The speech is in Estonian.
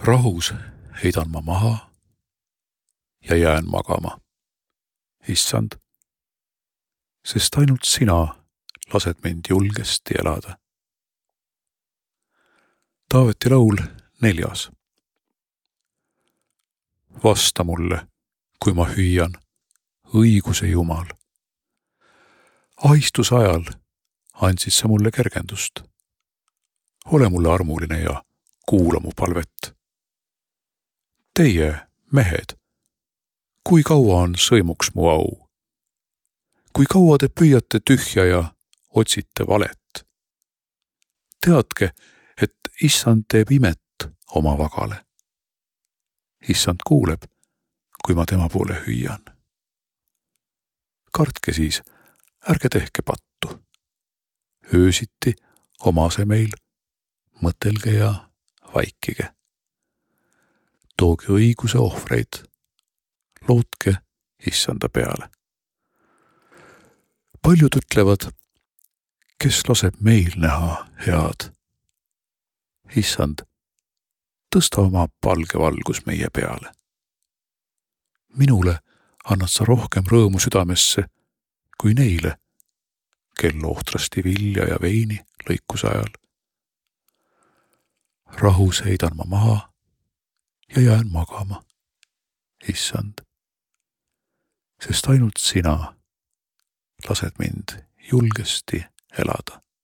Rahus heidan ma maha ja jään magama. Issand, sest ainult sina lased mind julgesti elada. Taaveti laul 4. Vasta mulle, kui ma hüüan, õiguse Jumal. Ahistuse ajal andsid sa mulle kergendust. Ole mulle armuline ja kuula mu palvet. Teie, mehed, kui kaua on sõimuks mu au? Kui kaua te püüate tühja ja otsite valet? Teadke, et Issand teeb imet oma vagale. Issand kuuleb, kui ma tema poole hüüan. Kartke siis, ärge tehke pattu. Öösiti omase meil, mõtelge ja vaikige. Tooge õiguse ohvreid, lootke Issanda peale. Paljud ütlevad, kes laseb meil näha head. Issand, tõsta oma palge valgus meie peale. Minule annad sa rohkem rõõmu südamesse kui neile, kel ohtrasti vilja ja veini lõikuse ajal. Rahus heidan ma maha ja jään magama, Issand, sest ainult sina lased mind julgesti elada.